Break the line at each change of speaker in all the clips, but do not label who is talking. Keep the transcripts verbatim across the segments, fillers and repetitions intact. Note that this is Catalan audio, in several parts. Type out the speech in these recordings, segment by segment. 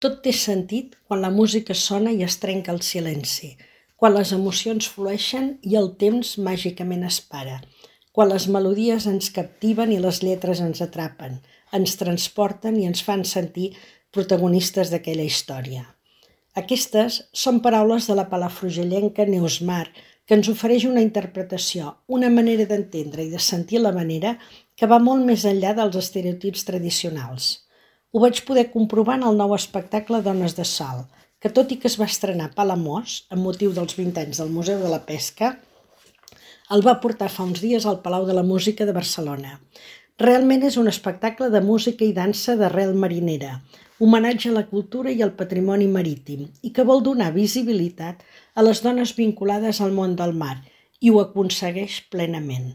Tot té sentit quan la música sona i es trenca el silenci, quan les emocions flueixen i el temps màgicament es para, quan les melodies ens captiven i les lletres ens atrapen, ens transporten i ens fan sentir protagonistes d'aquella història. Aquestes són paraules de la palafrugellenca Neus Mar, que ens ofereix una interpretació, una manera d'entendre i de sentir l'havanera que va molt més enllà dels estereotips tradicionals. Ho vaig poder comprovar en el nou espectacle Dones de Salt, que tot i que es va estrenar a Palamós, amb motiu dels vint anys del Museu de la Pesca, el va portar fa uns dies al Palau de la Música de Barcelona. Realment és un espectacle de música i dansa d'arrel marinera, homenatge a la cultura i al patrimoni marítim, i que vol donar visibilitat a les dones vinculades al món del mar, i ho aconsegueix plenament.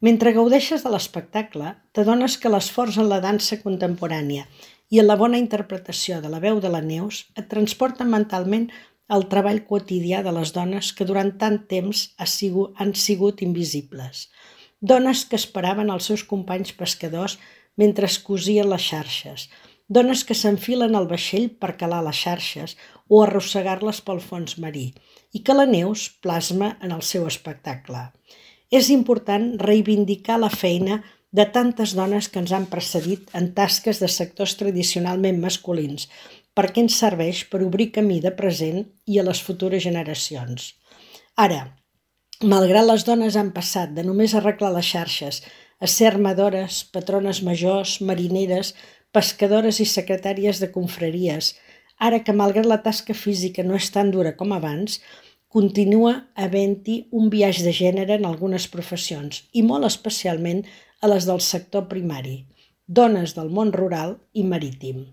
Mentre gaudeixes de l'espectacle, t'adones que l'esforç en la dansa contemporània i en la bona interpretació de la veu de la Neus et transporta mentalment al treball quotidià de les dones que durant tant temps han sigut invisibles. Dones que esperaven els seus companys pescadors mentre es cosien les xarxes, dones que s'enfilen al vaixell per calar les xarxes o arrossegar-les pel fons marí, i que la Neus plasma en el seu espectacle. És important reivindicar la feina de tantes dones que ens han precedit en tasques de sectors tradicionalment masculins, perquè ens serveix per obrir camí de present i a les futures generacions. Ara, malgrat les dones han passat de només arreglar les xarxes a ser armadores, patrones majors, marineres, pescadores i secretàries de confraries, ara que malgrat la tasca física no és tan dura com abans, continua havent-hi un biaix de gènere en algunes professions i molt especialment a les del sector primari, dones del món rural i marítim.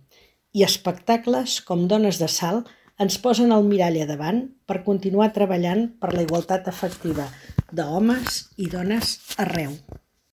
I espectacles com Dones de Salt ens posen el mirall a davant per continuar treballant per la igualtat efectiva d'homes i dones arreu.